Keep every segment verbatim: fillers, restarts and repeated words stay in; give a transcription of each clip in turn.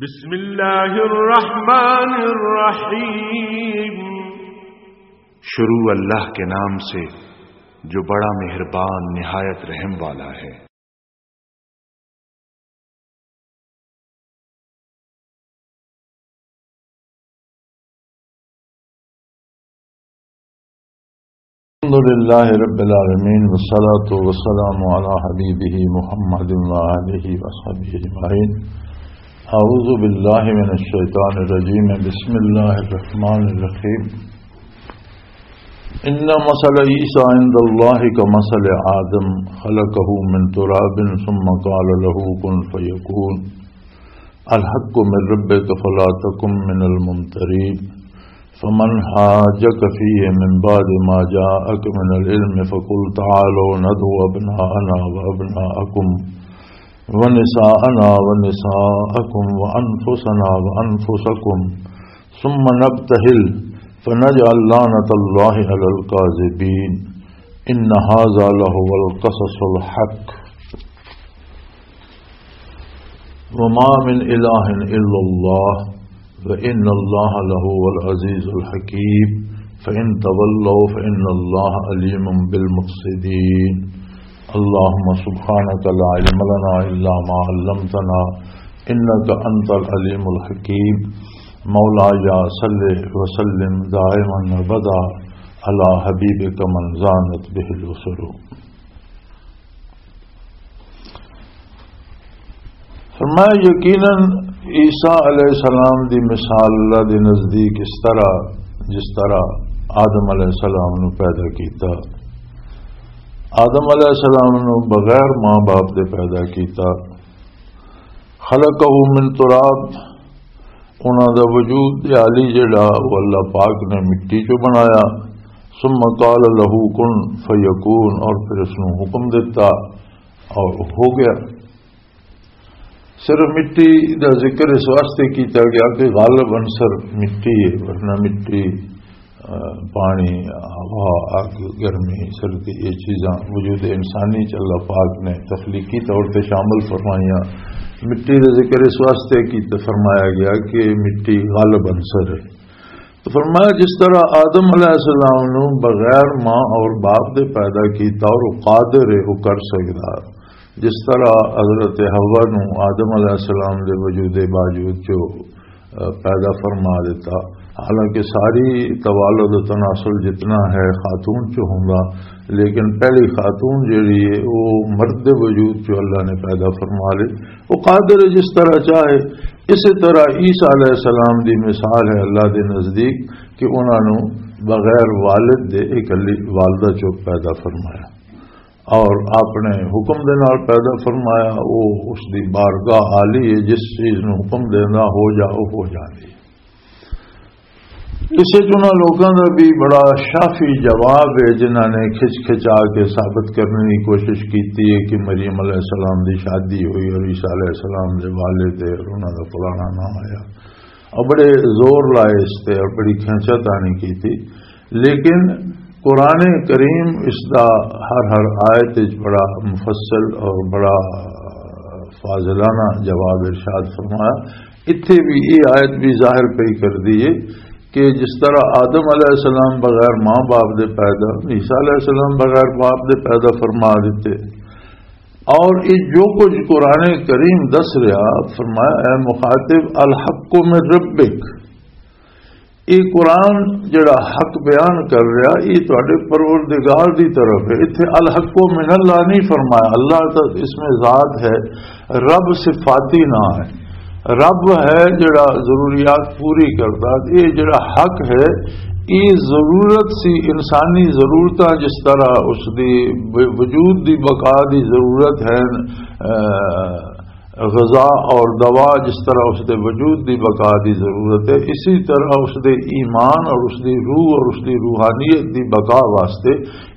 بسم اللہ الرحمن الرحیم۔ شروع اللہ کے نام سے جو بڑا مہربان نہایت رحم والا ہے۔ الحمد لله رب العالمين، والصلاة والسلام على حبيبه محمد وآله وصحبه أجمعين. أعوذ بالله من الشيطان الرجيم. بسم الله الرحمن الرحيم. إن مثل عيسى عند الله كمثل آدم، خلقه من تراب ثم قال له كن فيكون. الحق من ربك فلا تكن من الممترين. فمن حاجك فيه من بعد ما جاءك من العلم فقل تعالوا ندع أبناءنا وأبناءكم ونساءنا ونساءكم وأنفسنا وأنفسكم ثم نبتهل فنجعل لعنة الله على الكاذبين. إن هذا لهو القصص الحق. وما من إله إلا الله وإن الله لهو العزيز الحكيم. فإن تولوا فإن الله عليم بالمفسدين. اللهم سبحانك لا علم لنا إلا ما علمتنا إنك أنت العليم الحكيم. مولاي صل وسلم دائما أبدا على حبيبك من زانت به البصر. فرمایا، یقیناً عیسیٰ علیہ السلام دی مثال اللہ دے نزدیک اس طرح، جس طرح آدم علیہ السلام نو پیدا کیتا۔ آدم علیہ السلام نو بغیر ماں باپ دے پیدا کیتا۔ خلقہ من تراب، انہاں دا وجود عالی جڑا، وہ اللہ پاک نے مٹی چوں بنایا۔ ثم قال له كن فيكون، اور پھر اس نوں حکم دتا اور ہو گیا۔ صرف مٹی دا ذکر اس واسطے کیتا گیا کہ غالب عنصر مٹی ہے، ورنہ مٹی، آ، پانی، ہوا، اگ، گرمی، سردی، یہ چیزاں وجود انسانی چ اللہ پاک نے تخلیقی طور تے شامل فرمائیاں۔ مٹی دا ذکر اس واسطے کیتا، فرمایا گیا کہ مٹی غالب عنصر ہے۔ تو فرمایا، جس طرح آدم علیہ السلام نو بغیر ماں اور باپ دے پیدا کیتا اور وہ قادر ہے، وہ کر سکدا، جس طرح حضرت حوا نو آدم علیہ السلام دے وجود باوجود جو، آ، پیدا فرما دیتا، حالانکہ ساری توالد و تناسل جتنا ہے خاتون چ ہوندا، لیکن پہلی خاتون جڑی ہے وہ مرد دے وجود چ اللہ نے پیدا فرما لی۔ وہ قادر ہے جس طرح چاہے۔ اسی طرح عیسیٰ علیہ السلام دی مثال ہے اللہ دے نزدیک کہ انہاں نوں بغیر والد دے اکلی والدہ چوں پیدا فرمایا اور اپنے حکم دے نال پیدا فرمایا۔ وہ اس دی بارگاہ عالی ہے، جس چیز نوں حکم دینا ہو جا، وہ ہو جاندی۔ اسے چ انہاں لوکاں دا بھی بڑا شافی جواب ہے، جنہاں نے کھچ کھچا کے ثابت کرنے کی کوشش کیتی ہے کہ مریم علیہ السلام دی شادی ہوئی اور عیسیٰ علیہ السلام دے والد ہے اور انہاں دا فلانا نام آیا، اور بڑے زور لائے اس تے اور بڑی کھینچا تانی کیتی۔ لیکن قرآن کریم اس دا ہر ہر آیت وچ بڑا مفصل اور بڑا فاضلانہ جواب ارشاد فرمایا۔ اتھے بھی یہ آیت بھی ظاہر پئی کر دی ہے کہ جس طرح آدم علیہ السلام بغیر ماں باپ دے پیدا، عیسیٰ علیہ السلام بغیر باپ دے پیدا فرما دیتے، اور یہ جو کچھ قرآن کریم دس رہا، فرمایا، اے مخاطب، الحق من ربک، یہ قرآن جڑا حق بیان کر رہا، یہ تواڈے پروردگار دی طرف ہے۔ اتھے الحق من اللہ نہیں فرمایا، اللہ تو اس میں ذات ہے، رب صفاتی نہ ہے۔ رب ہے جڑا ضروریات پوری کردا، یہ جڑا حق ہے، یہ ضرورت سی، انسانی ضرورتاں جس طرح اس دی وجود دی بقا دی ضرورت ہے، اے، غذا اور دوا جس طرح اس دے وجود دی بقا دی ضرورت ہے، اسی طرح اس دے ایمان اور اس دی روح اور اس دی روحانیت دی بقا واسطے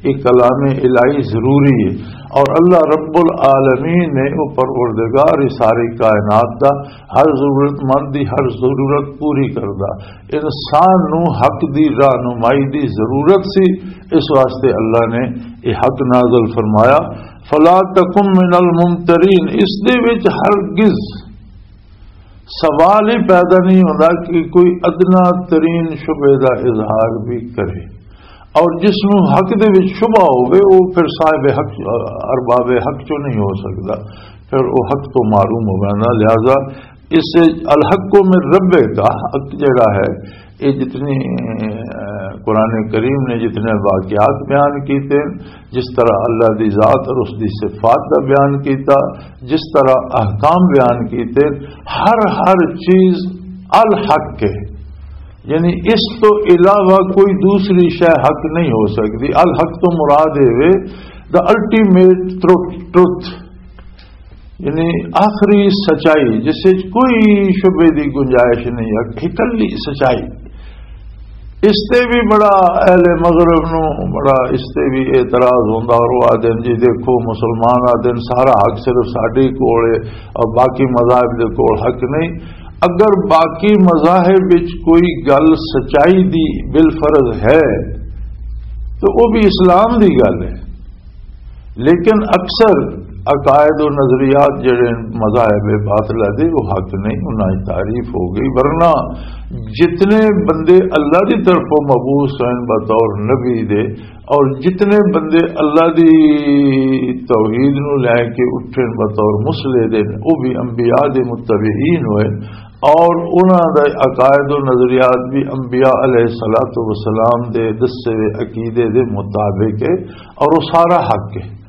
ایک کلام الہی ضروری ہے۔ اور اللہ رب العالمین نے، وہ پروردگار ہی ساری کائنات دا، ہر ضرورت مند دی ہر ضرورت پوری کردا، انسان نو حق دی رہنمائی دی ضرورت سی، اس واسطے اللہ نے یہ حق نازل فرمایا۔ فلا تکن من الممترین، اس دے وچ ہرگز سوال ہی پیدا نہیں ہوندا کہ کوئی ادنا ترین شبہے دا اظہار بھی کرے۔ اور جس نوں حق دے وچ شبہ ہوے، وہ پھر صاحب حق، ارباب حق چوں نہیں ہو سکدا، پھر وہ حق تو معلوم ہو جانا۔ لہذا اس الحق من ربک، حق جڑا ہے، یہ جتنی، اہ، قرآن کریم نے جتنے واقعات بیان کیتے، جس طرح اللہ دی ذات اور اس دی صفات دا بیان کیتا، جس طرح احکام بیان کیتے، ہر ہر چیز الحق ہے۔ یعنی اس تو علاوہ کوئی دوسری شے حق نہیں ہو سکتی۔ الحق تو مراد ہے دا الٹیمیٹ ٹروتھ، یعنی آخری سچائی، جس وچ کوئی شبے دی گنجائش نہیں، اکلی سچائی۔ اس تے بھی بڑا اہل مغرب نو بڑا اس تے بھی اعتراض ہوندا، اور وہ آدھے جی دیکھو، مسلمان آدھے سارا حق صرف ساڈے کول ہے اور باقی مذاہب دے کول حق نہیں۔ اگر باقی مذاہب وچ کوئی گل سچائی دی بالفرض ہے تو وہ بھی اسلام دی گل ہے، لیکن اکثر عقائد و نظریات جڑے مذاہب باطلہ دے، وہ حق نہیں، انہاں دی تعریف ہو گئی۔ ورنہ جتنے بندے اللہ دی طرفوں مبعوث ہوئے بطور نبی دے، اور جتنے بندے اللہ دی توحید نو لے کے اٹھے بطور مصلح دے، وہ بھی انبیاء دے متبعین ہوئے، اور انہاں دے عقائد و نظریات بھی انبیاء علیہ الصلوۃ والسلام دے دسے ہوئے عقیدے دے مطابق ہے، اور وہ سارا حق ہے۔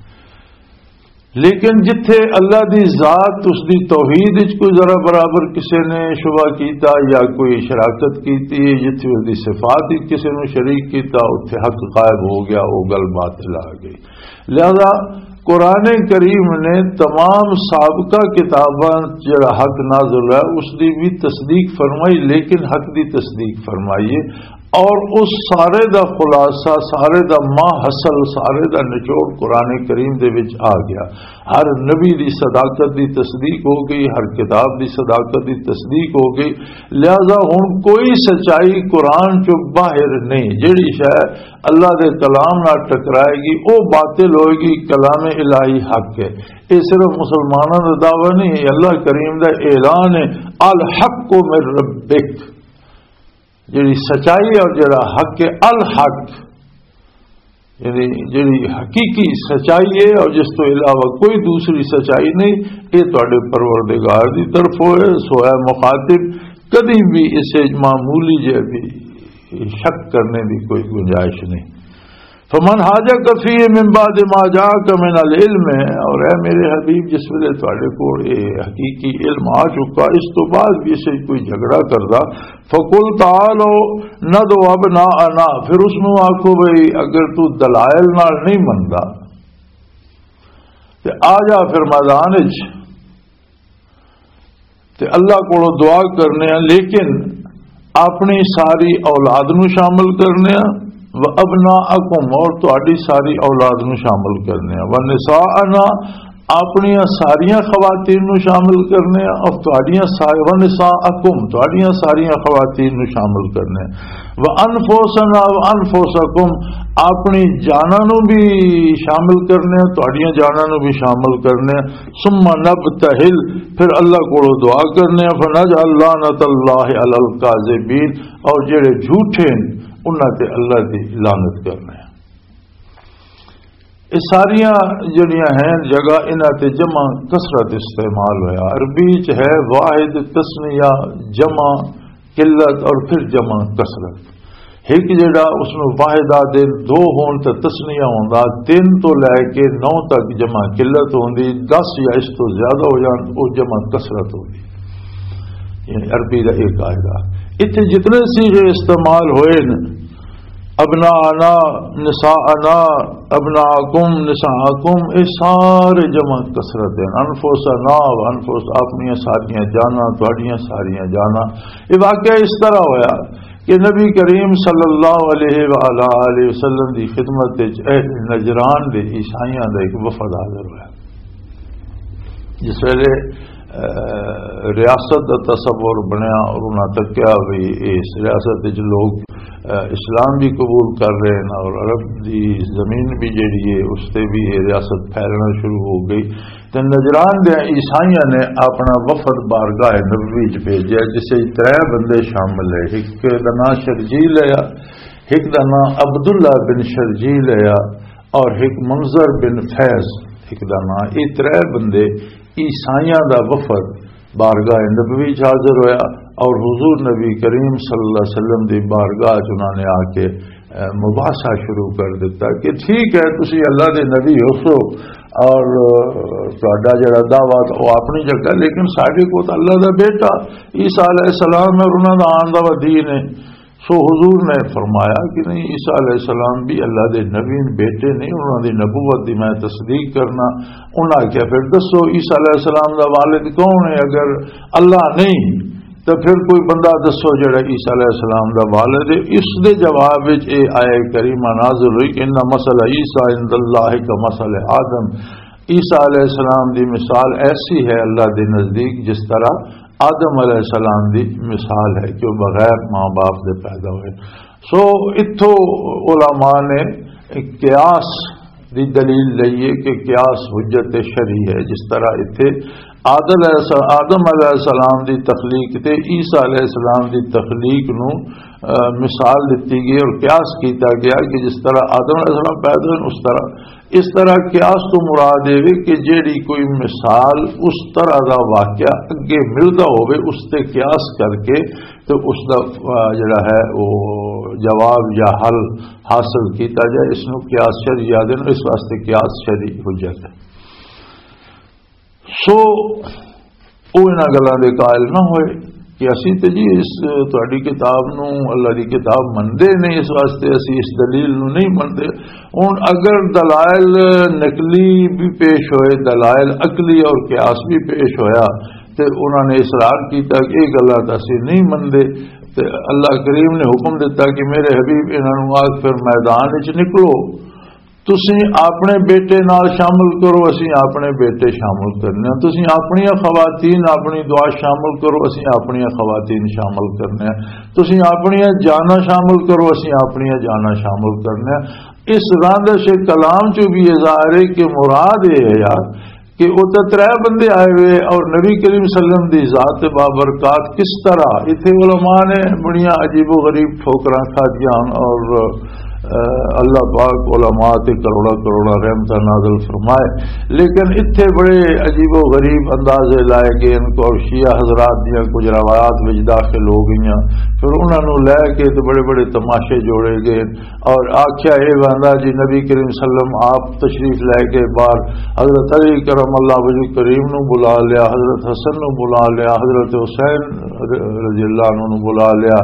لیکن جتھے اللہ دی ذات، اس دی توحید وچ کوئی ذرا برابر کسے نے شبہ کیتا یا کوئی شراکت کیتی ہے، جتھے اس دی صفات وچ کسے نو شریک کیتا، اتھے حق غائب ہو گیا، وہ گل باطل آ گئی۔ لہذا قرآن کریم نے تمام سابقہ کتاباں جڑا حق نازل ہے، اس دی بھی تصدیق فرمائی، لیکن حق دی تصدیق فرمائی ہے۔ اور اس سارے دا خلاصہ، سارے دا ماں حاصل، سارے دا نچوڑ قرآن کریم دے وچ آ گیا۔ ہر نبی دی صداقت دی تصدیق ہو گئی، ہر کتاب دی صداقت دی تصدیق ہو گئی۔ لہذا ہن کوئی سچائی قرآن چوں باہر نہیں۔ جڑی شے اللہ دے کلام نال ٹکرائے گی، او باطل ہوئے گی، کلام الہی حق ہے۔ یہ صرف مسلمانوں دا دعویٰ نہیں، اللہ کریم دا اعلان ہے، "الحق من ربک"، جڑی سچائی ہے اور جڑا حق ہے، الحق، یعنی جڑی حقیقی سچائی ہے اور جس تو علاوہ کوئی دوسری سچائی نہیں، یہ تہاڈے پروردگار دی طرف ہوئے۔ سو اے مخاطب، کدی بھی اس وچ معمولی جے بھی شک کرنے دی کوئی گنجائش نہیں۔ فمن حاجک فیہ من بعد ما جاءک من العلم، اور اے میرے حبیب، جس ویلے تہاڈے کول یہ حقیقی علم آ چکا، اس تو بعد بھی اسے کوئی جھگڑا کردا، فقل تعالوا ندع ابناءنا، پھر اس نو آکھو بھئی اگر تو دلائل نال نہیں مندا تے آ جا پھر میدان وچ، تے اللہ کولوں دعا کرنے آ، لیکن اپنی ساری اولاد نو شامل کرنے آ، و ابناءکم، اور تہاڈی ساری اولاد نو شامل کرنے آ، و نساءنا، اپنیاں ساریاں خواتین نو شامل کرنے آ، اور تہاڈیاں سا-، و نساءکم، تہاڈیاں ساریاں خواتین نو شامل کرنے آ، و انفسنا و انفسکم، اپنی جاناں نو بھی شامل کرنے آ، تہاڈیاں جاناں نو بھی شامل کرنے آ۔ ثم نبتہل، پھر اللہ کولوں دعا کرنے آ، فنجعل لعنت اللہ علی الکاذبین، اور جڑے جھوٹے ہیں انہاں تے اللہ دی لعنت کرنے آ۔ یہ ساریاں جڑیاں ہیں جگہ، انہاں تے جمع کثرت استعمال ہویا۔ عربی چ ہے واحد، تثنیہ، جمع قلت اور پھر جمع کثرت۔ ایک جڑا اس نو واحد آدھے، دو ہون تے تثنیہ ہوندا، تین تو لے کے نو تک جمع قلت ہوندی، دس یا اس تو زیادہ ہو جان، او جمع کثرت ہوندی۔ یعنی عربی دا ایک قاعدہ۔ اتھے جتنے صیغے استعمال ہوئے نے، ابناءنا، نساءنا، ابناءکم، نساءکم، یہ سارے جمع کثرت ہیں۔ انفسنا و انفس، اپنیاں ساریاں جاناں، تہاڈیاں ساریاں جاناں۔ یہ واقعہ اس طرح ہویا کہ نبی کریم صلی اللہ علیہ وآلہ آلہ وسلم دی خدمت وچ اہل نجران دے عیسائیاں دا ایک وفد حاضر ہویا۔ جس ویلے ریاست دا تصور بنیا اور انہاں تکیا بھی اس ریاست وچ لوگ، اے، اسلام بھی قبول کر رہے ہیں اور عرب دی زمین بھی جڑی ہے، اس تے بھی یہ ریاست پھیلنا شروع ہو گئی۔ تے نجران دے عیسائیاں نے اپنا وفد بارگاہ نبوی چ بھیجیا، جس وچ ترے بندے شامل ہے۔ ایک دا نام شرجیل ہے، ایک دا نام عبداللہ بن شرجیل ہے اور ایک منظر بن فیض، ایک دا نام۔ یہ ترے بندے عیسائیاں دا وفد بارگاہ نبوی چ حاضر ہویا اور حضور نبی کریم صلی اللہ علیہ وسلم دی بارگاہ چ انہاں نے آ کے، اے، مباحثہ شروع کر دیتا کہ ٹھیک ہے، تسی اللہ دے نبی ہو سو اور، اے، تہاڈا جڑا دعویٰ تو وہ اپنی جگہ، لیکن ساڈے کو تو اللہ دا بیٹا عیسیٰ علیہ السلام ہے اور انہاں دا آن دا دین ہے۔ سو حضور نے فرمایا کہ نہیں، عیسیٰ علیہ السلام بھی اللہ دے نبی بیٹے نہیں، انہاں دی نبوت دی میں تصدیق کرنا۔ انہاں کیا پھر دسو، عیسیٰ علیہ السلام دا والد کون ہے؟ اگر اللہ نہیں تو پھر کوئی بندہ دسو جڑا عیسیٰ علیہ السلام دا والد ہے۔ اس دے جواب وچ اے آیت کریمہ نازل ہوئی کہ ان مثل عیسیٰ عند اللہ کا مثل آدم۔ عیسیٰ علیہ السلام دی مثال ایسی ہے اللہ دے نزدیک جس طرح آدم علیہ السلام دی مثال ہے کہ وہ بغیر ماں باپ دے پیدا ہوئے۔ سو اتھوں علماء نے قیاس دی دلیل لئی ہے کہ قیاس حجت شرعی ہے۔ جس طرح اتھے آدم علیہ الس-، آدم علیہ السلام دی تخلیق تے عیسیٰ علیہ السلام دی تخلیق نو، اہ، مثال دتی گئی اور قیاس کیتا گیا کہ جس طرح آدم علیہ السلام پیدا ہوئے، اس طرح، اس طرح قیاس تو مراد یہ وے کہ جیڑی کوئی مثال اس طرح دا واقعہ اگے ملدا ہوے، اس تے قیاس کر کے تے اس دا، آ، جڑا ہے وہ جواب یا حل حاصل کیتا جائے، اس نو قیاس شرعی آدھے نے، اس واسطے قیاس شرعی حجت ہے۔ سو وہ انہاں گلاں دے قائل نہ ہوئے کہ اسی تے جی اس تہاڈی کتاب نو، اللہ دی کتاب مندے نے، اس واسطے اسی اس دلیل نو نہیں مندے۔ ہن اگر دلائل نقلی بھی پیش ہوئے، دلائل عقلی اور قیاس بھی پیش ہویا، تے انہاں نے اصرار کیتا کہ یہ گلاں تاں اسی نہیں مندے۔ تے اللہ کریم نے حکم دیتا کہ میرے حبیب، انہاں نوں آکھ پھر میدان وچ نکلو، تسی اپنے بیٹے نال شامل کرو، اسی اپنے بیٹے شامل کرنے ہیں، تسی اپنی خواتین اپنی دعا شامل کرو، اسی اپنی خواتین شامل کرنے ہیں، تسی اپنی جانا شامل کرو، اسی اپنی جانا شامل کرنے ہیں۔ اس راندش کلام چوں بھی یہ ظاہر ہے کہ مراد یہ ہے یار کہ وہ تے ترے بندے آئے ہوئے اور نبی کریم صلی اللہ علیہ وسلم دی ذات بابرکات کس طرح، اتھے علماء نے بڑیاں عجیب و غریب ٹھوکراں کھادیاں ہن اور، اہ، اللہ پاک علماء تے کروڑا کروڑا رحمتاں نازل فرمائے، لیکن اتھے بڑے عجیب و غریب اندازے لائے گئے ان کو، اور شیعہ حضرات دیاں کچھ روایات وچ داخل ہو گئیاں، پھر انہاں نوں لے کے تے بڑے بڑے تماشے جوڑے گئے۔ اور آکھیا اے واندا جی، نبی کریم صلی اللہ علیہ وسلم آپ تشریف لے کے باہر حضرت علی کرم اللہ وجہ کریم نو بلا لیا، حضرت حسن نو بلا لیا، حضرت حسین رضی اللہ عنہ نو بلا لیا،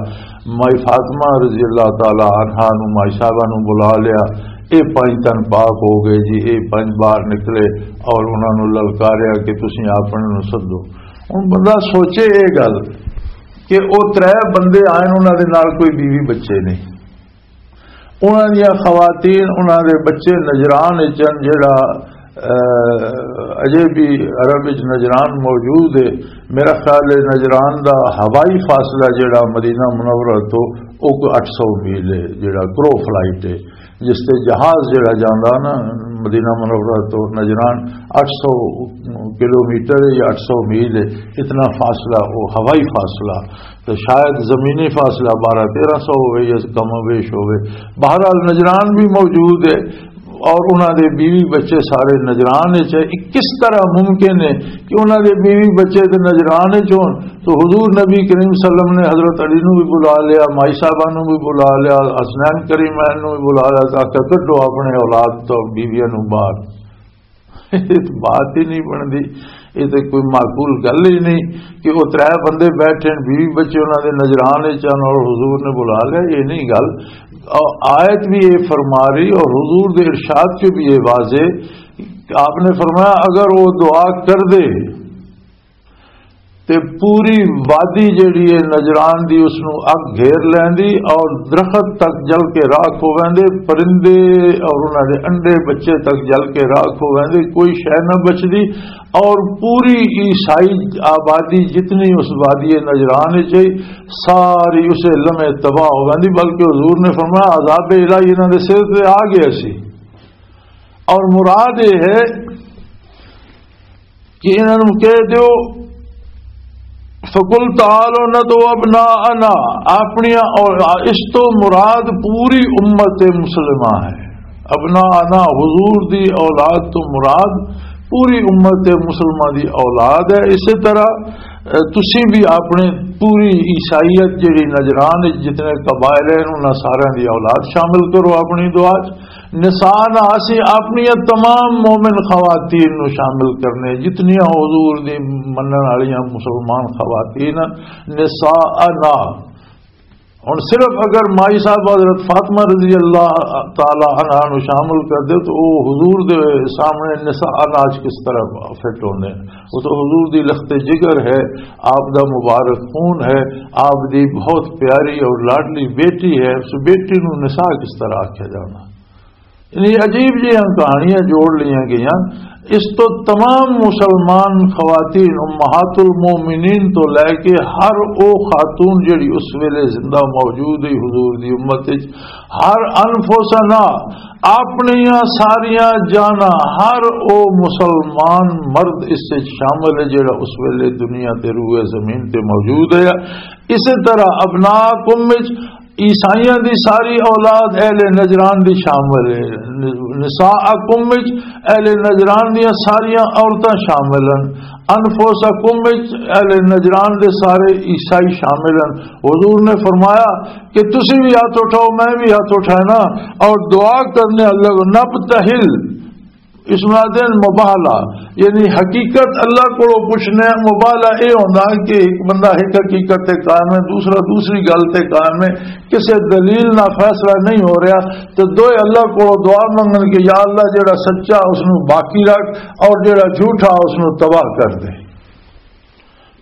مائی فاطمہ رضی اللہ تعالی عنہا نو، مائی صاحبہ نو بلا لیا۔ اے پنج تن پاک ہو گئے جی، اے پنج باہر نکلے اور انہاں نو للکاریا کہ تسی اپنے نو سدو۔ ہن بندہ سوچے اے گل کہ او ترے بندے آئے، انہاں دے نال کوئی بیوی بچے نہیں، انہاں دیاں خواتین، انہاں دے بچے نجران وچ ہن، جڑا، اہ، اجے بھی عرب وچ نجران موجود ہے۔ میرا خیال ہے نجران دا ہوائی فاصلہ جڑا مدینہ منورہ تو، او کوئی اٹھ سو میل ہے، جڑا کرو فلائٹ ہے، جس تے جہاز جڑا جاندا نا مدینہ منورہ تو نجران، اٹھ سو کلومیٹر ہے یا اٹھ سو میل ہے، اتنا فاصلہ، وہ ہوائی فاصلہ۔ تو شاید زمینی فاصلہ بارہ تیرہ سو ہوئے یا کم و بیش ہوئے۔ بہرحال نجران بھی موجود ہے اور انہاں دے بیوی بچے سارے نجران وچ ہے۔ یہ کس طرح ممکن ہے کہ انہاں دے بیوی بچے تے نجران وچ ہون؟ تو حضور نبی کریم صلی اللہ علیہ وسلم نے حضرت علی نو بھی بلا لیا، مائی صاحبہ نو بھی بلا لیا، حسنین کریمین نو بھی بلا لیا، تاکہ کڈو اپنے اولاد تو بیویاں نو باہر۔ یہ تو بات ہی نہیں بنتی، یہ تو کوئی معقول گل ہی نہیں کہ وہ ترے بندے بیٹھے ہیں، بیوی بچے انہاں دے نجران وچ ہن اور حضور نے بلا لیا، یہ نہیں گل۔ اور آیت بھی یہ فرما رہی اور حضور دے ارشاد چ بھی یہ واضح، آپ نے فرمایا اگر وہ دعا کر دے تے پوری وادی جیڑی ہے نجران دی، اس نوں اگ گھیر لیندی اور درخت تک جل کے راکھ ہو ویندے، پرندے اور انہاں دے انڈے بچے تک جل کے راکھ ہو ویندے، کوئی شے نہ بچدی۔ اور پوری عیسائی آبادی جتنی اس وادی نجران وچ ہے، ساری اسے لمحے تباہ ہو ویندی، بلکہ حضور نے فرمایا، عذاب الہی انہاں دے سر تے آ گیا سی۔ اور مراد یہ ہے کہ انہاں نوں کہہ دیو، فقل تعالوا ندع ابناءنا، اپنیاں اور اس تو مراد پوری امت مسلمہ ہے۔ ابناءنا، حضور دی اولاد تو مراد پوری امت مسلمہ دی اولاد ہے۔ اسی طرح، اے، تسی بھی اپنے پوری عیسائیت جڑی نجران وچ جتنے قبائل ہیں، انہاں سارے دی اولاد شامل کرو اپنی دعا چ۔ نساءنا، اسی اپنی تمام مومن خواتین نو شامل کرنے، جتنیاں حضور دی منن والیاں مسلمان خواتین ہیں، نساءنا۔ ہن صرف اگر مائی صاحب حضرت فاطمہ رضی اللہ تعالی عنہا نو شامل کر دے تو او حضور دے سامنے نساءنا چ کس طرح فٹ ہوندے ہیں؟ وہ تو حضور دی لخت جگر ہے، آپ دا مبارک خون ہے، آپ دی بہت پیاری اور لاڈلی بیٹی ہے، اس بیٹی نو نساء کس طرح آکھیا جانا؟ یعنی عجیب جیاں کہانیاں جوڑ لیاں گئیاں۔ اس تو تمام مسلمان خواتین، امہات المومنین تو لے کے ہر او خاتون جڑی اس ویلے زندہ موجود ہے حضور دی امت وچ، ہر انفسنا، اپنیاں ساریاں جانا، ہر او مسلمان مرد اس وچ شامل ہے جڑا اس ویلے دنیا تے روئے زمین تے موجود ہے۔ اسی طرح ابناءکم وچ عیسائیاں دی ساری اولاد اہل نجران دی شامل ہے۔ نساءکم وچ اہل نجران دیاں ساریاں عورتاں شامل ہیں۔ انفسکم وچ اہل نجران دے سارے عیسائی شامل ہیں۔ حضور نے فرمایا کہ تسی بھی ہاتھ اٹھاؤ، میں بھی ہاتھ اٹھانا اور دعا کرنے، اللہ نبتہل، اس نوں آدھے مباہلہ، یعنی حقیقت اللہ کولوں پوچھنے۔ مباہلہ اے ہوندا کہ ایک بندہ ایک حقیقت تے قائم ہے، دوسرا دوسری گل تے قائم ہے، کسے دلیل نہ فیصلہ نہیں ہو رہا، تے دوئے اللہ کولوں دعا منگن کہ یا اللہ، جڑا سچا اس نوں باقی رکھ اور جڑا جھوٹا اس نوں تباہ کر دے۔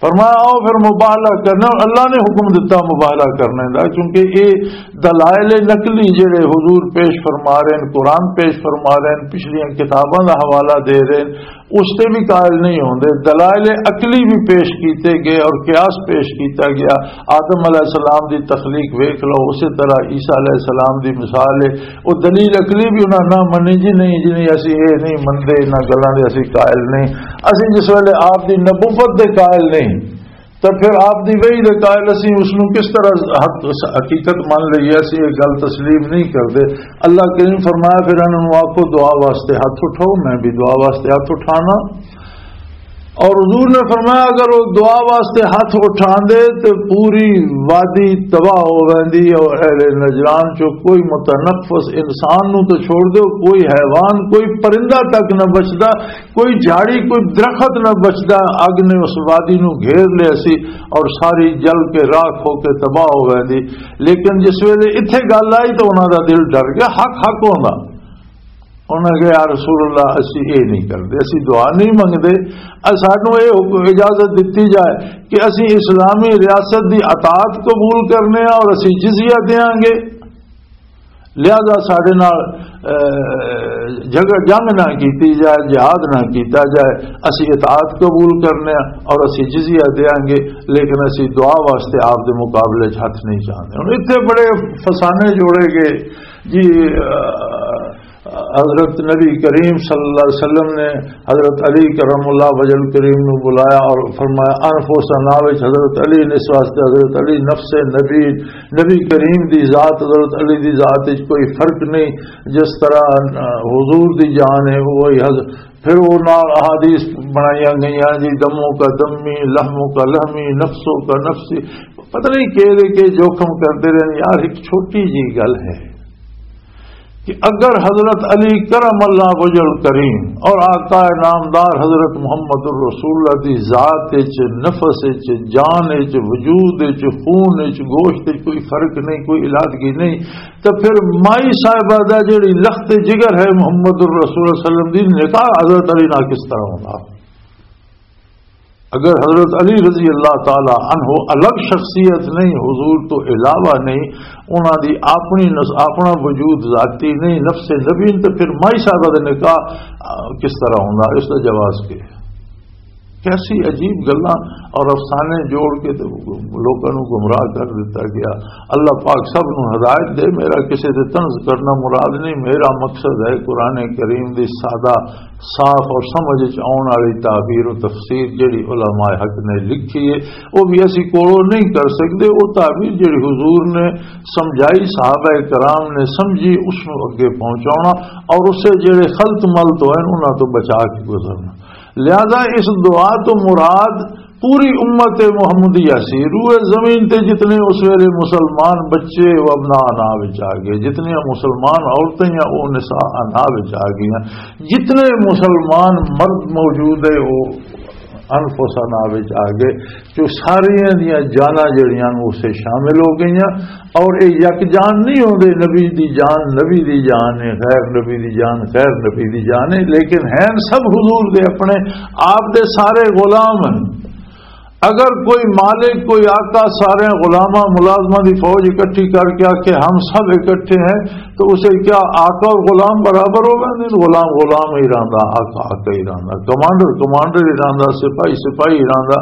فرمایا، آؤ پھر مباہلہ کرنا، اور اللہ نے حکم دتا مباہلہ کرنے دا، کیونکہ یہ دلائل نقلی جڑے حضور پیش فرما رہے ہیں، قرآن پیش فرما رہے ہیں، پچھلیاں کتاباں دا حوالہ دے رہے ہیں، اس تے بھی قائل نہیں ہوندے۔ دلائل عقلی بھی پیش کیتے گئے اور قیاس پیش کیتا گیا۔ آدم علیہ السلام دی تخلیق ویکھ لو، اسی طرح عیسیٰ علیہ السلام دی مثال ہے، وہ دلیل عقلی بھی انہاں نہ منی، جی نہیں، جی نہیں، اسی یہ نہیں منتے، انہاں گلاں دے اسی قائل نہیں۔ اسی جس ویلے آپ دی نبوت دے قائل نہیں، تو پھر آپ دی وحی دے قائل اسی اس نوں کس طرح حق، حقیقت من لئیے؟ اسی یہ گل تسلیم نہیں کردے۔ اللہ کریم فرمایا، پھر انہاں نوں آکھو دعا واسطے ہاتھ اٹھاؤ، میں بھی دعا واسطے ہاتھ اٹھانا۔ اور حضور نے فرمایا، اگر وہ دعا واسطے ہاتھ اٹھاندے تو پوری وادی تباہ ہو ویندی، اور اہل نجران چوں کوئی متنفس انسان نوں تو چھوڑ دو، کوئی حیوان، کوئی پرندہ تک نہ بچدا، کوئی جھاڑی، کوئی درخت نہ بچدا۔ اگ نے اس وادی نو گھیر لیا سی اور ساری جل کے راکھ ہو کے تباہ ہو گئی تھی۔ لیکن جس ویلے اتھے گل آئی تو انہاں دا دل ڈر گیا، حق حق ہوندا۔ انہاں کہا، یا رسول اللہ، اسی اے نہیں کردے، اسی دعا نہیں منگدے، اے سانو اے حکم، اجازت دتی جائے کہ اسی اسلامی ریاست دی اطاعت قبول کرنے ہاں اور اسی جزیہ دیاں گے۔ لہذا ساڈے نال، اے، جھگڑ، جنگ نہ کیتی جائے، جہاد نہ کیتا جائے، اسی اطاعت قبول کرنے ہاں اور اسی جزیہ دیاں گے، لیکن اسی دعا واسطے آپ دے مقابلے چ ہاتھ نہیں چاہندے۔ ہن اتھے بڑے فسانے جوڑے گئے جی، اے، حضرت نبی کریم صلی اللہ علیہ وسلم نے حضرت علی کرم اللہ وجہ کریم نو بلایا اور فرمایا، انفسنا وچ حضرت علی نے، اس واسطے حضرت علی نفس نبی، نبی کریم دی ذات، حضرت علی دی ذات وچ کوئی فرق نہیں۔ جس طرح، آ، حضور دی جان ہے، وہی حضرت۔ پھر وہ نال احادیث بنائیاں گئیاں جی، دموں کا دمی، لحموں کا لحمی، نفسوں کا نفسی، پتہ نہیں کہ دے کے جوخم کرتے رہے۔ یار، ایک چھوٹی جی گل ہے کہ اگر حضرت علی کرم اللہ وجہ کریم اور آقا نامدار حضرت محمد الرسول اللہ دی ذات وچ، نفس وچ، جان وچ، وجود وچ، خون وچ، گوشت وچ کوئی فرق نہیں، کوئی علادگی نہیں، تو پھر مائی صاحبہ دا جڑی لخت جگر ہے محمد الرسول صلی اللہ علیہ وسلم دی، نکاح حضرت علی نال کس طرح ہوندا؟ اگر حضرت علی رضی اللہ تعالی عنہ الگ شخصیت نہیں، حضور تو علاوہ نہیں، انہاں دی اپنی نس-، اپنا وجود ذاتی نہیں، نفس نبی، تو پھر مائی صاحبہ دے نکاح، آ، کس طرح ہوندا؟ اس دا جواز کی؟ کیسی عجیب گلاں اور افسانے جوڑ کے تے لوکاں نوں گمراہ کر دتا گیا۔ اللہ پاک سب نوں ہدایت دے۔ میرا کسے تے طنز کرنا مراد نہیں، میرا مقصد ہے قرآن کریم دی سادہ، صاف اور سمجھ وچ آؤن والی تعبیر و تفسیر جڑی علماء حق نے لکھی ہے، وہ بھی اسی کولوں نہیں کر سکدے۔ وہ تعبیر جڑی حضور نے سمجھائی، صحابہ کرام نے سمجھی، اس نوں اگے پہنچاؤنا اور اسے جڑے خلط ملط ہوئے انہاں تو بچا کے گزرنا۔ لہذا اس دعا تو مراد پوری امت محمدیہ سی، روئے زمین تے جتنے اس ویلے مسلمان بچے و ابناء انا وچ آ گئے، جتنیاں مسلمان عورتیں یا او نساء انا وچ آ گئیاں، جتنے مسلمان مرد موجود ہے وہ انفس انا وچ آ گئے، جو ساریاں دیاں جاناں جڑیاں نوں اسے شامل ہو گئیاں۔ اور اے یک جان نہیں ہوندے، نبی دی جان نبی دی جان ہے، غیر نبی دی جان غیر نبی دی جان ہے، لیکن ہیں سب حضور دے اپنے آپ دے سارے غلام ہیں۔ اگر کوئی مالک، کوئی آقا سارے غلاماں ملازماں دی فوج اکٹھی کر کے آکھے ہم سب اکٹھے ہیں، تو اسے کیا آقا اور غلام برابر ہو گئے؟ غلام غلام ہی رہندا، آقا آقا ہی رہندا، کمانڈر کمانڈر ہی رہندا، سپاہی سپاہی ہی رہندا۔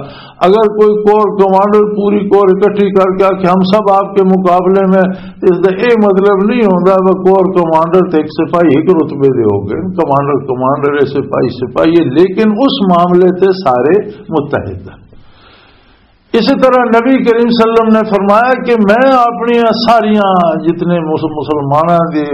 اگر کوئی کور کمانڈر پوری کور اکٹھی کر کے آکھے ہم سب آپ کے مقابلے میں، اس دا اے مطلب نہیں ہوندا وہ کور کمانڈر تے ایک سپاہی ایک رتبے دے ہو گئے، کمانڈر کمانڈر ہے، سپاہی سپاہی ہے، لیکن اس معاملے تے سارے متحد ہیں۔ اسی طرح نبی کریم صلی اللہ علیہ وسلم نے فرمایا کہ میں اپنی ساریاں جتنے مس-، مسلماناں دی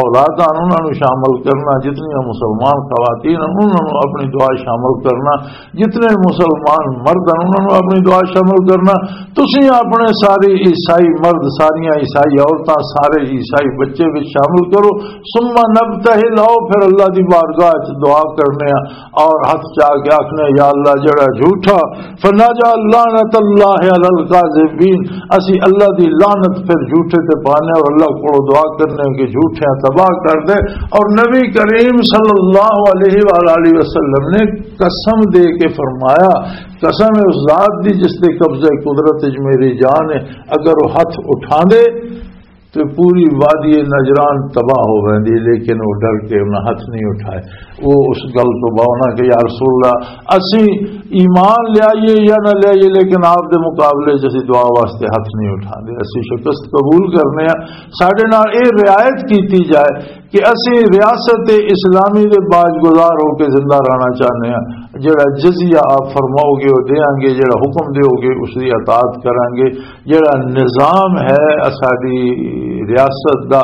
اولاداں انہاں نوں شامل کرنا، جتنیاں مسلمان خواتین انہاں نوں اپنی دعا شامل کرنا، جتنے مسلمان مرد ہیں انہاں نوں اپنی دعا شامل کرنا۔ تسی اپنے سارے عیسائی مرد، ساریاں عیسائی عورتاں، سارے عیسائی بچے وچ شامل کرو۔ ثم نبتہل، آؤ پھر اللہ دی بارگاہ چ دعا کرنے آ اور ہاتھ چا کے آکھنے، یا اللہ جڑا جھوٹا، فنجعل لعنت اللہ علی الکاذبین، اسی اللہ دی لعنت پھر جھوٹے تے پانے اور اللہ کو دعا کرنے کہ جھوٹیاں تباہ کر دے۔ اور نبی کریم صلی اللہ علیہ وآلہ وسلم نے قسم دے کے فرمایا، قسم ہے اس ذات دی جس دے قبضہ قدرت وچ میری جان ہے، اگر وہ ہاتھ اٹھا دے تو پوری وادی نجران تباہ ہو ویندی، لیکن وہ ڈر کے انہاں ہاتھ نہیں اٹھائے۔ وہ اس گل تو باؤنا کہ یا رسول اللہ، اسی ایمان لے آئیے یا نہ لے آئیے، لیکن آپ دے مقابلے چ اسی دعا واسطے ہاتھ نہیں اٹھا دے، اسی شکست قبول کرنے ہیں۔ ساڈے نال اے رعایت کیتی جائے کہ اسی ریاست اسلامی دے باج گزار ہو کے زندہ رہنا چاہنے ہیں۔ جڑا جزیہ آپ فرماؤ گے، وہ دیاں گے، جڑا حکم دیو گے، اس دی اطاعت کران گے۔ جڑا نظام ہے اساڈی ریاست دا،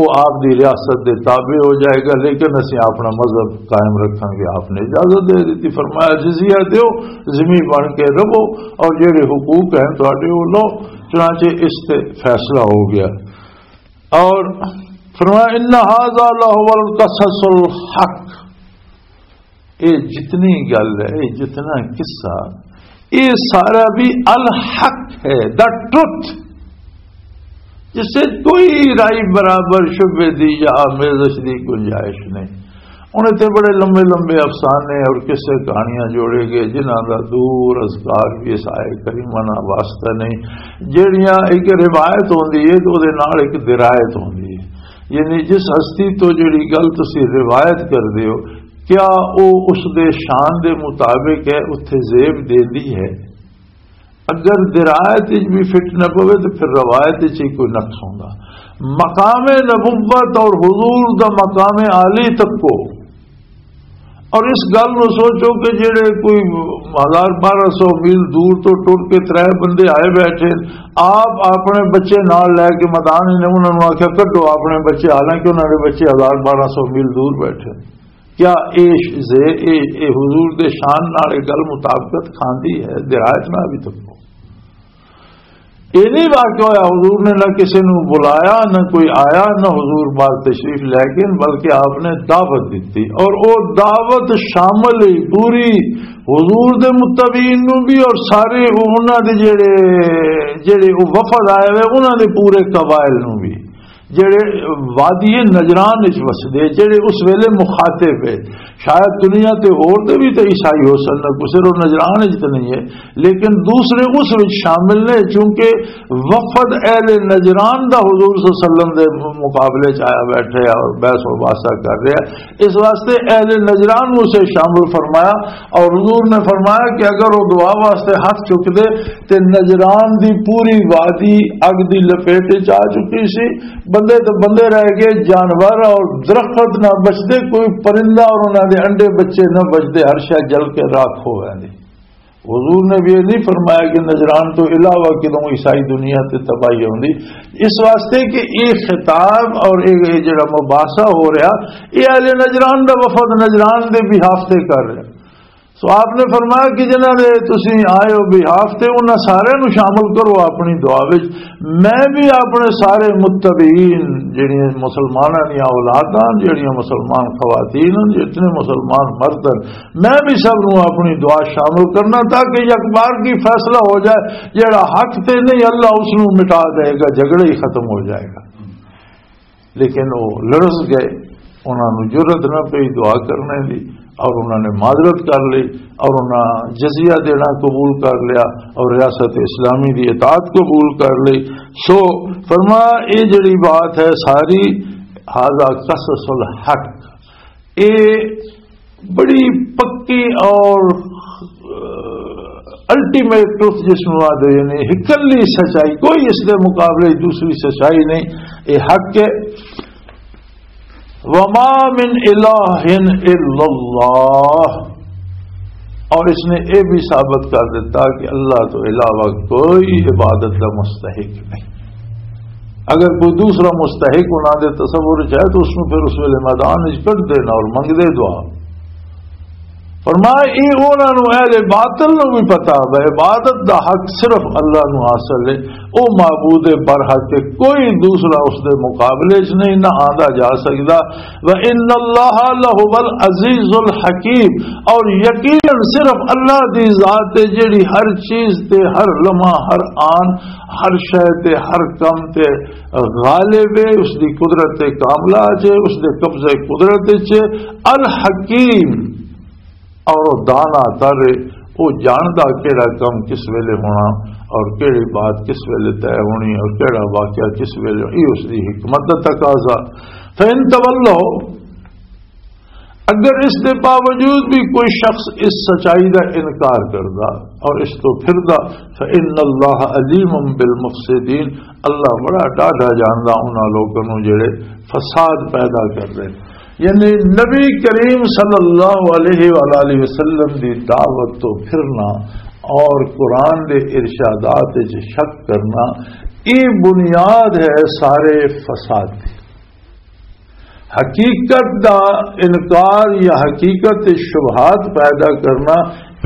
وہ آپ دی ریاست دے تابع ہو جائے گا، لیکن اسی اپنا مذہب قائم رکھاں گے۔ آپ نے اجازت دے دیتی، فرمایا، جزیہ دیو، ذمہ بن کے رہو، اور جڑے حقوق ہیں تہاڈے، وہ لو۔ چنانچہ اس تے فیصلہ ہو گیا۔ اور فرمایا، ان ھذا لھو القصص الحق، یہ جتنی گل ہے، یہ جتنا قصہ، یہ سارا بھی الحق ہے، دا ٹروتھ، جس سے کوئی رائی برابر شبے دی یا آمیزش دی گنجائش نہیں۔ انہیں تے بڑے لمبے لمبے افسانے اور قصے کہانیاں جوڑے گئے، جنہاں دا دور اذکار بھی اس آئے کریمہ نال واسطہ نہیں۔ جیڑیاں ایک روایت ہوندی ہے تو دے نال ایک درایت ہوندی ہے، یعنی جس ہستی تو جیڑی گل تسی روایت کر دیو، کیا او اس دے شان دے مطابق ہے، اتھے زیب دیندی ہے؟ اگر درایت وچ بھی فٹ نہ پوے تو پھر روایت وچ ہی کوئی نقص ہوندا۔ مقام نبوت اور حضور دا مقام عالی تکو، اور اس گل نو سوچو کہ جڑے کوئی ہزار بارہ سو میل دور تو ٹر کے ترے بندے آئے بیٹھے، آپ اپنے بچے نال لے کے میدان نے انہاں نوں آکھیا، "کڈو اپنے بچے"، حالانکہ انہاں دے بچے ہزار بارہ سو میل دور بیٹھے۔ کیا اے ش-، زے-، اے، اے حضور دے شان نال اے گل مطابقت کھاندی ہے؟ درایت نال بھی تکو۔ اے نہیں واقع ہویا، حضور نے نہ کسی نو بلایا، نہ کوئی آیا، نہ حضور بار تشریف لے گئے، بلکہ آپ نے دعوت دیتی، اور او دعوت شامل ہی پوری حضور دے متبعین نو بھی، اور سارے انہاں دے جڑے، جڑے او وفد آئے ہوئے، انہاں دے پورے قبائل نو بھی۔ جڑے وادی نجران وچ وسدے، جڑے اس ویلے مخاطب ہے، شاید دنیا تے ہور دے بھی تے عیسائی ہو سکدے، کوئی صرف نجران وچ تے نہیں ہے، لیکن دوسرے اس وچ شامل نے، چونکہ وفد اہل نجران دا حضور صلی اللہ علیہ وسلم دے مقابلے چ آیا بیٹھے اور بحث و مباحثہ کر رہا ہے۔ اس واسطے اہل نجران نوں اسے شامل فرمایا، اور حضور نے فرمایا کہ اگر وہ دعا واسطے ہاتھ چک دے تے نجران دی پوری وادی اگ دی لپیٹ وچ آ چکی سی، بندے تے بندے رہ گئے، جانور اور درخت نہ بچدے، کوئی پرندہ اور انہاں دے انڈے بچے نہ بچدے، ہر شے جل کے راکھ ہو ویندی۔ حضور نے بھی یہ نہیں فرمایا کہ نجران تو علاوہ کدوں عیسائی دنیا تے تباہی ہوندی، اس واسطے کہ یہ خطاب اور یہ، یہ جڑا مباحثہ ہو رہا، یہ اہل نجران دا وفد نجران دے بھی ہفتے کر رہا۔ سو آپ نے فرمایا کہ جنہاں دے تسی آئے ہو بہاف تے، انہاں سارے نو شامل کرو اپنی دعا وچ۔ میں بھی اپنے سارے متبعین، جڑیاں مسلماناں دیاں اولاداں، جڑیاں مسلمان خواتین ہن، جتنے مسلمان مرد ہن، میں بھی سب نو اپنی دعا شامل کرنا، تاکہ یک بار کی فیصلہ ہو جائے، جڑا حق تے نہیں، اللہ اس نو مٹا دے گا، جھگڑا ہی ختم ہو جائے گا۔ لیکن وہ لڑس گئے، انہاں نوں جرأت نہ پئی دعا کرنے دی، اور انہاں نے معذرت کر لی، اور انہاں جزیہ دینا قبول کر لیا، اور ریاست اسلامی دی اطاعت قبول کر لی۔ سو فرمایا، یہ جڑی بات ہے ساری، ھذا قصص الحق، یہ بڑی پکی اور الٹیمیٹ ٹروتھ جس نوں آدھے، یعنی اکلی سچائی، کوئی اس دے مقابلے دوسری سچائی نہیں، یہ حق ہے۔ وما من الہ الا اللہ، اور اس نے یہ بھی ثابت کر دیتا کہ اللہ تو علاوہ کوئی عبادت کا مستحق نہیں۔ اگر کوئی دوسرا مستحق انہاں دے تصور چ ہے تو اس نوں پھر اس ویلے میدان وچ کڈ دینا اور منگ دے دعا۔ فرمایا، یہ انہاں نوں، اہل باطل نوں بھی پتا ہے، عبادت دا حق صرف اللہ نوں حاصل ہے، او معبود برحق ہے، کوئی دوسرا اس دے مقابلے چ نہیں، نہ آندا جا سکدا۔ وَإِنَّ اللَّهَ لَهُوَ الْعَزِيزُ الْحَكِيمُ، اور یقیناً صرف اللہ دی ذات ہے جڑی ہر چیز تے، ہر لمحہ، ہر آن، ہر شے تے، ہر کم تے غالب ہے، اس دی قدرت کاملہ چ، اس دے قبضے قدرت چ، الحکیم، اور وہ دانا تر ہے، وہ جاندا کیڑا کم کس ویلے ہونا اور کیڑی بات کس ویلے طے ہونی اور کیڑا واقعہ کس ویلے، یہ اس دی حکمت دا تقاضا۔ فَإِن تَوَلَّوْا، اگر اس دے باوجود بھی کوئی شخص اس سچائی دا انکار کردا اور اس تو پھردا، فَإِنَّ اللَّهَ عَلِيمٌ بِالْمُفْسِدِينَ، اللہ بڑا ڈاڈھا جاندا انہاں لوکاں نوں جڑے فساد پیدا کر رہے۔ یعنی نبی کریم صلی اللہ علیہ وآلہ وسلم دی دعوت تو پھرنا اور قرآن دے ارشادات وچ شک کرنا، یہ بنیاد ہے سارے فساد دی۔ حقیقت دا انکار یا حقیقت تے شبہات پیدا کرنا،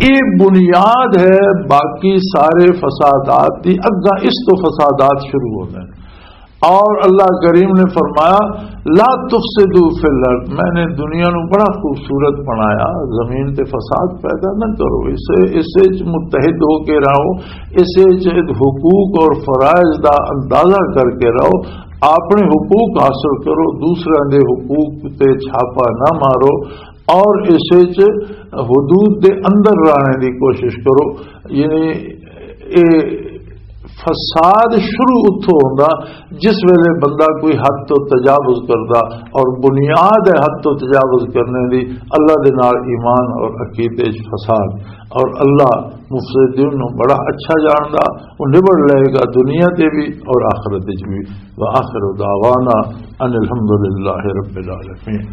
یہ بنیاد ہے باقی سارے فسادات دی۔ اگاں اس تو فسادات شروع ہوندے نے۔ اور اللہ کریم نے فرمایا، لا تفسدوا فی الارض، میں نے دنیا نو بڑا خوبصورت بنایا، زمین تے فساد پیدا نہ کرو، اسے، اسے وچ متحد ہو کے رہو، اسے وچ حقوق اور فرائض دا اندازہ کر کے رہو، اپنے حقوق حاصل کرو، دوسرے دے حقوق تے چھاپا نہ مارو، اور اسے وچ حدود دے اندر رہنے دی کوشش کرو۔ یعنی اے فساد شروع اتھوں ہوندا جس ویلے بندہ کوئی حد تو تجاوز کردا، اور بنیاد ہے حد تو تجاوز کرنے دی اللہ دے نال ایمان اور عقیدے وچ فساد۔ اور اللہ مفسدین نو بڑا اچھا جاندا، وہ نبڑ لے گا دنیا تے بھی اور آخرت وچ بھی۔ وآخر دعوانا ان الحمد للہ رب العالمین۔